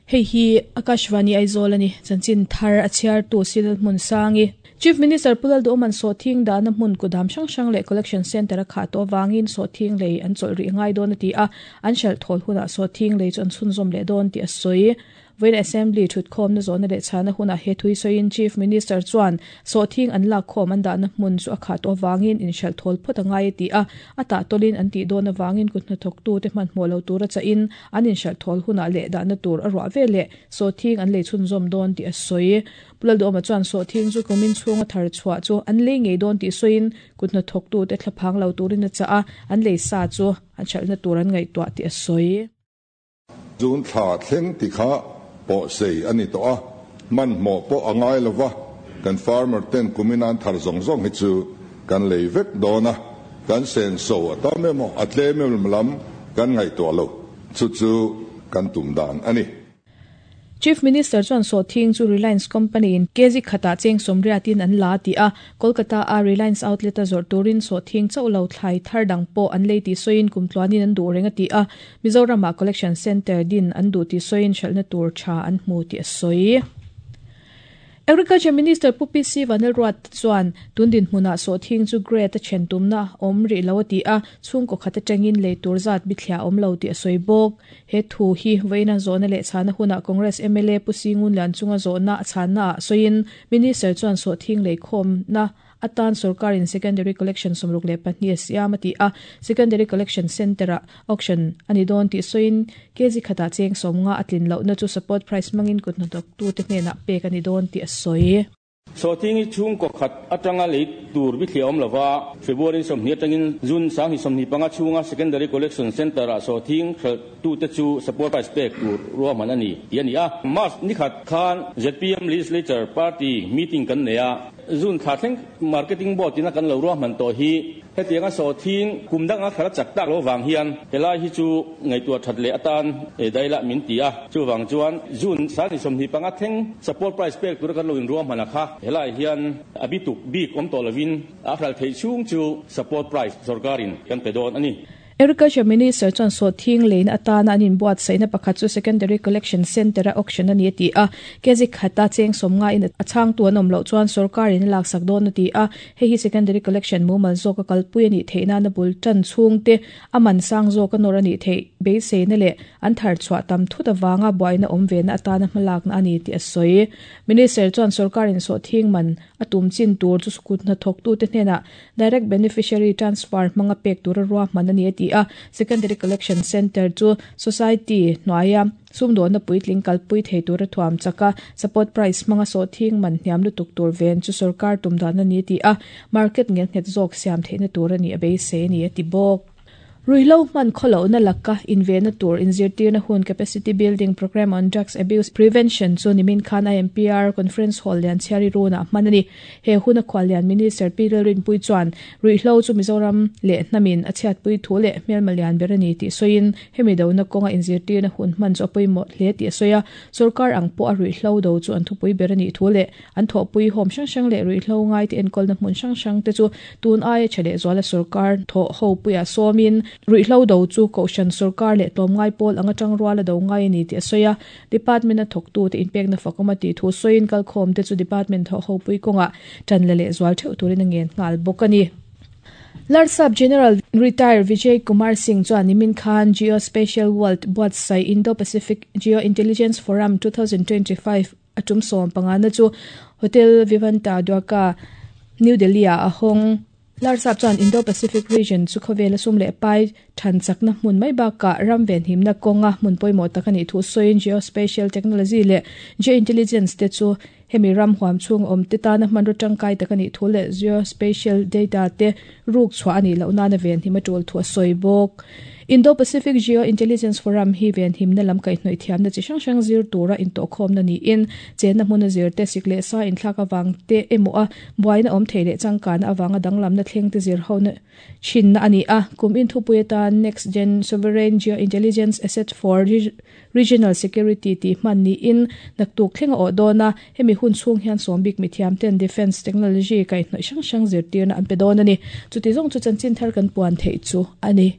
Hei hi Akashvani Aizawl a ni. Chanchin thar a chhiartu Sidal Hmunsangi. Chief Minister Pu Lalduhawma'n sawhthing dahna hmun kudam hrang hrang leh Collection Centre a khah tawh avangin sawhthing lei an chawlh rih ngai dawn a ti a, an hralh thawl hunah sawhthing lei chu an chhunzawm leh dawn tih a sawi. Vawiin Assembly thutkhawmna zawhna leh chhana hunah he thui sawiin Chief Minister chuan sawhthing an lakkhawm an dahna hmun chu a khah tawh avangin inhralh thawl phawt a ngai a ti a, a tahtawlin an tih dawn avangin kut hnathawktute hmanhmawh lo tura chahin an inhralh thawl hunah leh dahna tur a ruah veleh sawhthing an lei chhunzawm dawn tih a sawi. Pu Lalduhawma chuan sawhthing chu kumin chhunga thar chhuah chu an lei ngei dawn tih sawiin kut hnathawktute thlaphang lo turin a chah a, an lei sa chu an hralhna tur an ngaihtuah tih a sawi. June thla thleng ti kha pawhsei a ni tawh a, hmanhmawh pawh a ngai lo va, kan farmer ten kumin an thar zawng zawng hi chu kan lei vek dawn a, kan senso a tam emaw a tlem emaw lam kan ngaihtuah lo, chu chu kan tum dan a ni. Chief Minister chuan sawhthing chu Reliance Company in kg khatah cheng sawmriatin an la ti a, Kolkata a Reliance outlet a zawrh turin sawhthing chauh lo thlai thar dang pawh an lei tih sawiin kum tluanin an duh reng a ti a, Mizoramah collection centre din an duh tih sawiin hralhna tur tha an hmu tih a sawi. Agriculture Minister Pu PC Vanlalruat chuan tun dinhmunah sawhthing chu grade a then tumna awm rih lo a ti a, chhungkaw khat atangin lei tur zat bithliah a awm lo tih a sawi bawk. He thu hi vawiina zawhna leh chhana hunah Congress mla Pu Singun Lianchunga zawhna a chhannaah sawiin Minister chuan sawhthing leikhawmna atan sorkarin Secondary Collection 64 a siam a ti a, Secondary Collection Centre-ah auction a ni dawn tih sawiin kg khatah cheng 50 a tlin lohna chu support price hmangin kut hnathawktute hnenah pek a ni dawn tih a sawi. Sawhthing hi chhungkaw khat atanga lei tur bithliah awm lova, February 20 atangin June 2025 chhunga Secondary Collection Centre-ah sawhthing hralhtute chu support price pek tur ruahman a ni tih a ni a. March nikhat khan zpm Legislature Party meeting kan nei a. June thla thleng Marketing Board ina kan lo ruahman tawh hi hetianga sawhthing kum danga thla chak tak lo vang hian helai hi chu ngaihtuah that leh atan dailah min ti a. Chuvang chuan June 25 thleng support price pek tura kan lo inruahman a kha helai hian a bituk bik awm tawh lovin a hral theih chhung chu support price sorkarin kan pe dawn a ni. Agriculture Minister chuan sawhthing leina atana an inbuatsaihna pakhat chu Secondary Collection Centre-a auction a ni a ti a. Kg khata cheng 50 in a chhangtu an awm loh chuan sorkarin a laksak dawn a ti a. Hei hi Secondary Collection mumal zawka kalpui a nih theih nana bul tan chhungte a man sang zawka nawr a nih theih beiseina leh an thar chhuah tam thut avanga buaina awm vena atana hmalakna a ni tih a sawi. Minister chuan sorkarin sawhthing man a tum chin tur chu kut hnathawktute hnenah Direct Beneficiary Transfer hmanga pek tura ruahman a ni a ti a. Secondary Collection Centre chu Society hnuaia sumdawnna puitling kalpui thei tura thuam chak a, support price hmanga sawhthing man hniam lutuk tur ven chu sorkar tum dan a ni a ti a, market ngelnghet zawk siam theihna tur a nih a beisei a ni a ti bawk. Ruihhlo hman khawlohna laka invenna tur inzirtirna hun Capacity Building Programme on Drugs Abuse Prevention chu nimin khan IMPR Conference Hall lian chhiari runah hman a ni. He huna khuallian Minister Pi Lalrinpui chuan ruihhlo chu Mizoram leh hnamin a chhiatpui thu leh hmelma lian ber a ni tih sawiin hemi dona kawnga inzirtirna hun hman chu a pawimawh hle tih a sawi a. Sorkar ang pawh a ruihhlo do chu an thupui ber a nih thu leh An thawhpui hawm hrang hrang leh ruihhlo ngaite enkawlna hmun hrang hrang te chu tun aia tha leh zuala sorkar thawh ho puiah sawmin ruihhlo do chu Kohhran sorkar leh tlawmngai pawl anga tangruala do ngai a ni tih a sawi a. Department a thawktute inpekna fakawm a tih thu sawiin kalkhawm te chu department thawh ho pui kawngah tan la leh zual theuh turin a ngen nghal bawk a ni. Larsap General Retire Vijay Kumar Singh chuan nimin khan Geospatial World buatsaih Indo-Pacific Geo-Intelligence Forum 2025 A tum 15 na chu Hotel Vivanta Dwarka, New Delhi-ah a hawng. Larsap chuan Indo-Pacific region chu khawvela sum leh pai than chakna hmun mai bakah ram venhimna kawnga hmun pawimawh tak a nih thu sawiin geospatial technology leh geointelligence te chu hemi ram huam chhung awm te tana hmanraw tangkai tak a nih thu leh geospatial data te ruk chhuah a nih loh nana venhim a tul thu a sawi bawk. Indo-Pacific Geo-Intelligence Forum hi venhimna lam kaihhnawih thiamna chi hrang hrang zir tura intawhkhawmna niin, chenna hmuna zir te, sik leh sa inthlak avang te emaw a buaina awm thei leh changkanna avanga danglamna thleng te zir hona thinna a ni a. Kum inthupui atan Next Gen Sovereign Geo-Intelligence Asset for Regional Security tih hman niin naktuk thleng a awh dawn a, hemi hun chhung hian sawmbik mithiam ten Defence Technology kaihhnawih hrang hrang zirtirna an pe dawn a ni. Chuti zawng chu chanchin thar kan puan theih chu a ni.